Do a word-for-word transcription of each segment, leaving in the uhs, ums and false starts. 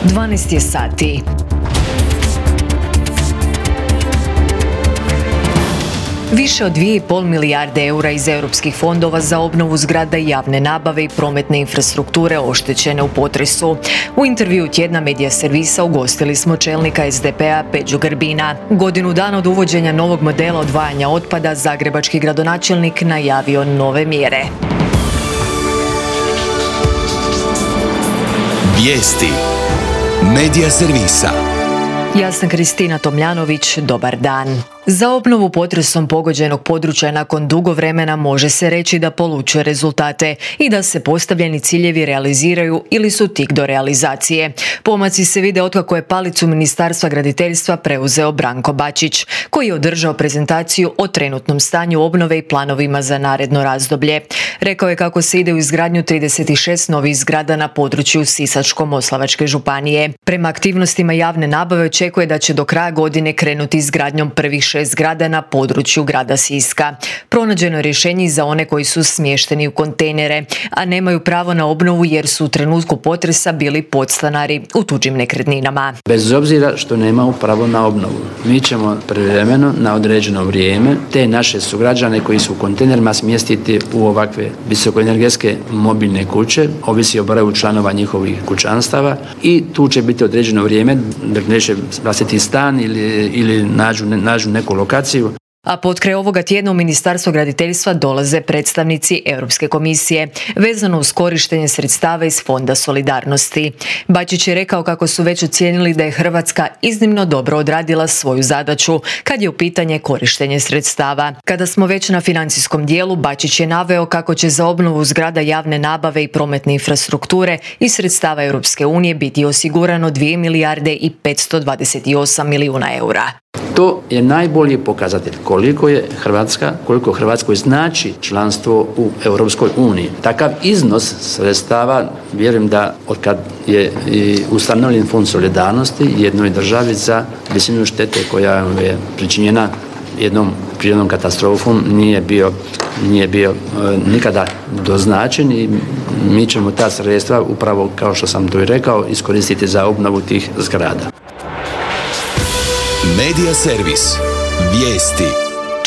dvanaest je sati. Više od dvije i pol milijarde eura iz europskih fondova za obnovu zgrada i javne nabave i prometne infrastrukture oštećene u potresu. U intervju tjedna Medija servisa ugostili smo čelnika es de pe-a Peđu Grbina. Godinu dana od uvođenja novog modela odvajanja otpada, zagrebački gradonačelnik najavio nove mjere. Vijesti Medija servisa. Ja sam Kristina Tomljanović, dobar dan. Za obnovu potresom pogođenog područja nakon dugo vremena može se reći da polučuje rezultate i da se postavljeni ciljevi realiziraju ili su tik do realizacije. Pomaci se vide otkako je palicu Ministarstva graditeljstva preuzeo Branko Bačić, koji je održao prezentaciju o trenutnom stanju obnove i planovima za naredno razdoblje. Rekao je kako se ide u izgradnju trideset šest novih zgrada na području Sisačko-moslavačke županije. Prema aktivnostima javne nabave očekuje da će do kraja godine krenuti izgradnjom prvih šest zgrada na području grada Siska. Pronađeno je rješenje za one koji su smješteni u kontejnere, a nemaju pravo na obnovu jer su u trenutku potresa bili podstanari u tuđim nekretninama. Bez obzira što nemaju pravo na obnovu, mi ćemo privremeno na određeno vrijeme te naše sugrađane koji su u kontejnerima smjestiti u ovakve visokoenergetske mobilne kuće, ovisi o broju članova njihovih kućanstava, i tu će biti određeno vrijeme dok neće vlastiti stan ili, ili nađu, nađu neku lokaciju. A potkraj ovoga tjedna u Ministarstvo graditeljstva dolaze predstavnici Europske komisije vezano uz korištenje sredstava iz Fonda solidarnosti. Bačić je rekao kako su već ocijenili da je Hrvatska iznimno dobro odradila svoju zadaću kad je u pitanje korištenje sredstava. Kada smo već na financijskom dijelu, Bačić je naveo kako će za obnovu zgrada javne nabave i prometne infrastrukture iz sredstava Europske unije biti osigurano dvije milijarde i petsto dvadeset osam milijuna eura. To je najbolji pokazatelj koliko je Hrvatska, koliko Hrvatskoj znači članstvo u Europskoj uniji. Takav iznos sredstava, vjerujem da od kad je ustanovljen Fond solidarnosti jednoj državi za visinu štete koja je pričinjena jednom prirodnom katastrofom nije bio, nije bio e, nikada doznačen, i mi ćemo ta sredstva, upravo kao što sam to i rekao, iskoristiti za obnovu tih zgrada. Medija servis. Vijesti.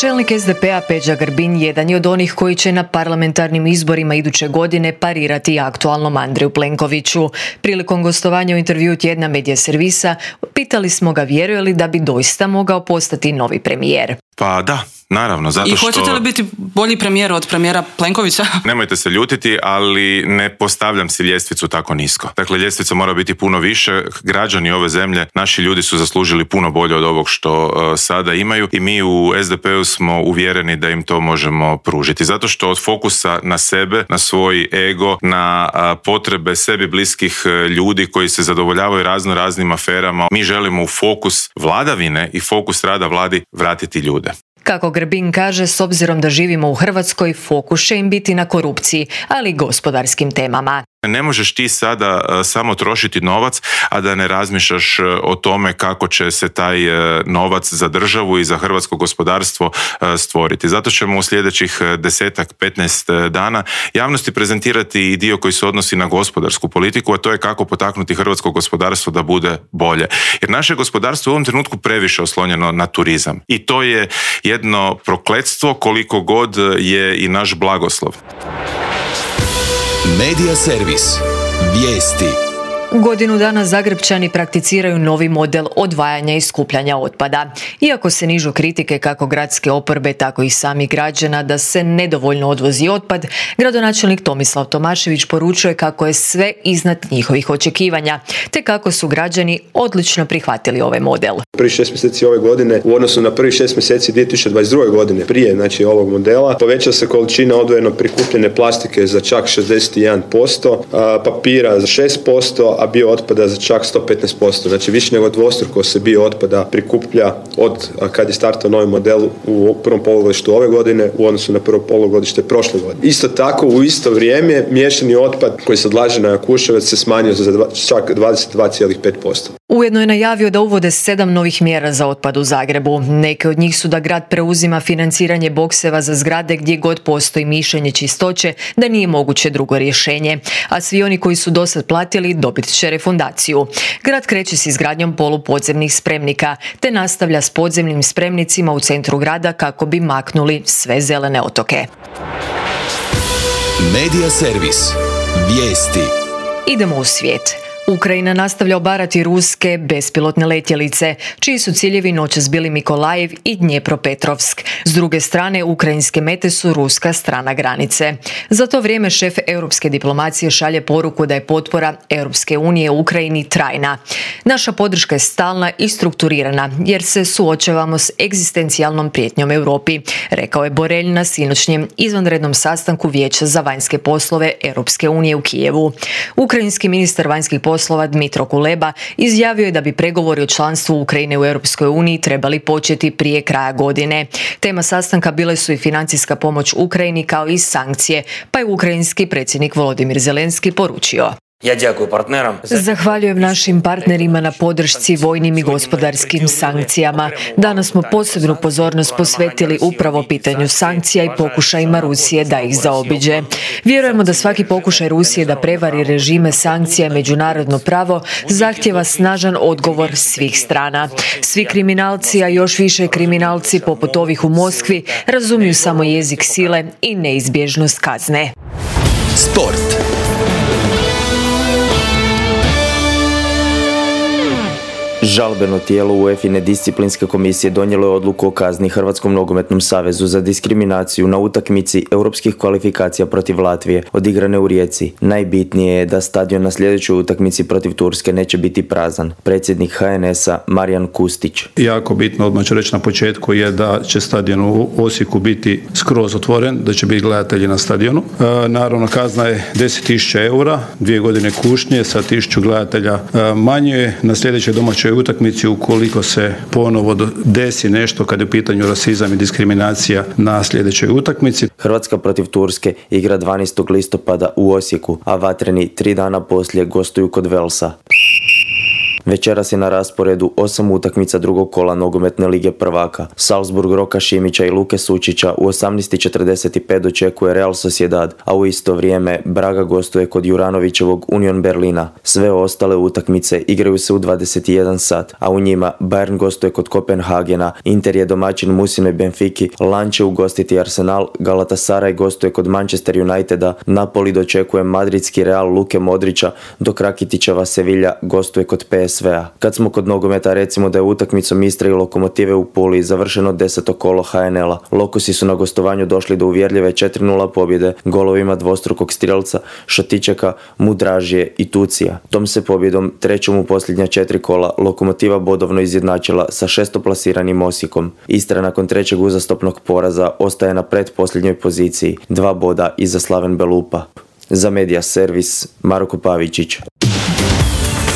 Čelnik es de pe-a Peđa Grbin jedan je od onih koji će na parlamentarnim izborima iduće godine parirati aktualnom Andreju Plenkoviću. Prilikom gostovanja u intervju tjedna Medija servisa pitali smo ga vjeruje li da bi doista mogao postati novi premijer. Pa da, naravno, zato što... I hoćete li biti bolji premijer od premijera Plenkovića? Nemojte se ljutiti, ali ne postavljam si ljestvicu tako nisko. Dakle, ljestvica mora biti puno više. Građani ove zemlje, naši ljudi su zaslužili puno bolje od ovog što uh, sada imaju, i mi u es de pe-u smo uvjereni da im to možemo pružiti. Zato što od fokusa na sebe, na svoj ego, na uh, potrebe sebi bliskih uh, ljudi koji se zadovoljavaju razno raznim aferama, mi želimo u fokus vladavine i fokus rada vladi vratiti ljude. Kako Grbin kaže, s obzirom da živimo u Hrvatskoj, fokus će im biti na korupciji, ali i gospodarskim temama. Ne možeš ti sada uh, samo trošiti novac, a da ne razmišljaš uh, o tome kako će se taj uh, novac za državu i za hrvatsko gospodarstvo uh, stvoriti. Zato ćemo u sljedećih uh, desetak, petnaest uh, dana javnosti prezentirati i dio koji se odnosi na gospodarsku politiku, a to je kako potaknuti hrvatsko gospodarstvo da bude bolje. Jer naše gospodarstvo je u ovom trenutku previše oslonjeno na turizam. I to je jedno prokletstvo koliko god je i naš blagoslov. Medija servis. Vijesti. Godinu dana Zagrepčani prakticiraju novi model odvajanja i skupljanja otpada. Iako se nižu kritike kako gradske oporbe, tako i samih građana da se nedovoljno odvozi otpad, gradonačelnik Tomislav Tomašević poručuje kako je sve iznad njihovih očekivanja, te kako su građani odlično prihvatili ovaj model. Prvi šest mjeseci ove godine u odnosu na prvi šest mjeseci dvije tisuće dvadeset druge godine prije znači ovog modela povećala se količina odvojeno prikupljene plastike za čak šezdeset jedan posto, papira za šest posto, a bio otpada za čak sto petnaest posto. Znači više nego dvostruko se bio otpada prikuplja od kad je startao novi model u prvom polugodištu ove godine u odnosu na prvo polugodište prošle godine. Isto tako u isto vrijeme miješani otpad koji se odlaže na Jakuševac se smanjio za čak dvadeset dva zarez pet posto. U Ujedno je najavio da uvode sedam novih mjera za otpad u Zagrebu. Neke od njih su da grad preuzima financiranje bokseva za zgrade gdje god postoji mišljenje čistoće da nije moguće drugo rješenje, a svi oni koji su dosad platili dobit će refundaciju. Grad kreće s izgradnjom polupodzemnih spremnika te nastavlja s podzemnim spremnicima u centru grada kako bi maknuli sve zelene otoke. Medija servis. Vijesti. Idemo u svijet. Ukrajina nastavlja obarati ruske bespilotne letjelice, čiji su ciljevi noćas bili Mikolajev i Dnjepropetrovsk. S druge strane, ukrajinske mete su ruska strana granice. Za to vrijeme šef europske diplomacije šalje poruku da je potpora Europske unije u Ukrajini trajna. Naša podrška je stalna i strukturirana, jer se suočavamo s egzistencijalnom prijetnjom Europi, rekao je Borelj na sinoćnjem izvanrednom sastanku Vijeća za vanjske poslove Europske unije u Kijevu. Ukrajinski ministar vanjskih poslova poslova Dmitro Kuleba izjavio je da bi pregovori o članstvu Ukrajine u Europskoj uniji trebali početi prije kraja godine. Tema sastanka bile su i financijska pomoć Ukrajini kao i sankcije, pa je ukrajinski predsjednik Volodimir Zelenski poručio: Zahvaljujem našim partnerima na podršci vojnim i gospodarskim sankcijama. Danas smo posebnu pozornost posvetili upravo pitanju sankcija i pokušajima Rusije da ih zaobiđe. Vjerujemo da svaki pokušaj Rusije da prevari režime sankcija i međunarodno pravo zahtjeva snažan odgovor svih strana. Svi kriminalci, a još više kriminalci poput ovih u Moskvi, razumiju samo jezik sile i neizbježnost kazne. Sport. Žalbeno tijelo UEFA-ine disciplinske komisije donijelo je odluku o kazni Hrvatskom nogometnom savezu za diskriminaciju na utakmici europskih kvalifikacija protiv Latvije, odigrane u Rijeci. Najbitnije je da stadion na sljedećoj utakmici protiv Turske neće biti prazan. Predsjednik H N S-a Marijan Kustić. Jako bitno, odmah ću reći na početku, je da će stadion u Osijeku biti skroz otvoren, da će biti gledatelji na stadionu. E, naravno, kazna je deset tisuća eura, dvije godine kušnje sa tisuću gledatelja e, manje. Na sljedećoj domaćoj utakmici, ukoliko se ponovo desi nešto kad je u pitanju rasizam i diskriminacija na sljedećoj utakmici. Hrvatska protiv Turske igra dvanaestog listopada u Osijeku, a vatreni tri dana poslije gostuju kod Velsa. Večeras je na rasporedu osam utakmica drugog kola nogometne lige prvaka. Salzburg Roka Šimića i Luke Sučića u osamnaest i četrdeset pet dočekuje Real Sociedad, a u isto vrijeme Braga gostuje kod Juranovićevog Union Berlina. Sve ostale utakmice igraju se u dvadeset jedan sat, a u njima Bayern gostuje kod Kopenhagena, Inter je domaćin Musinoj Benfiki, Lan će ugostiti Arsenal, Galatasaray gostuje kod Manchester Uniteda, Napoli dočekuje madridski Real Luke Modrića, dok Rakitićeva Sevilla gostuje kod P S V-a. Kad smo kod nogometa, recimo da je utakmicom Istre i Lokomotive u Puli završeno deseto kolo H N L-a. Lokosi su na gostovanju došli do uvjerljive četiri nula pobjede golovima dvostrukog strelca Šatičeka, Mudražije i Tucija. Tom se pobjedom, trećom u posljednja četiri kola, Lokomotiva bodovno izjednačila sa šestoplasiranim Osijekom. Istra nakon trećeg uzastopnog poraza ostaje na pretposljednjoj poziciji, dva boda iza Slaven Belupa. Za Medija servis, Marko Pavičić.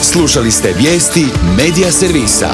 Slušali ste vijesti Medija servisa.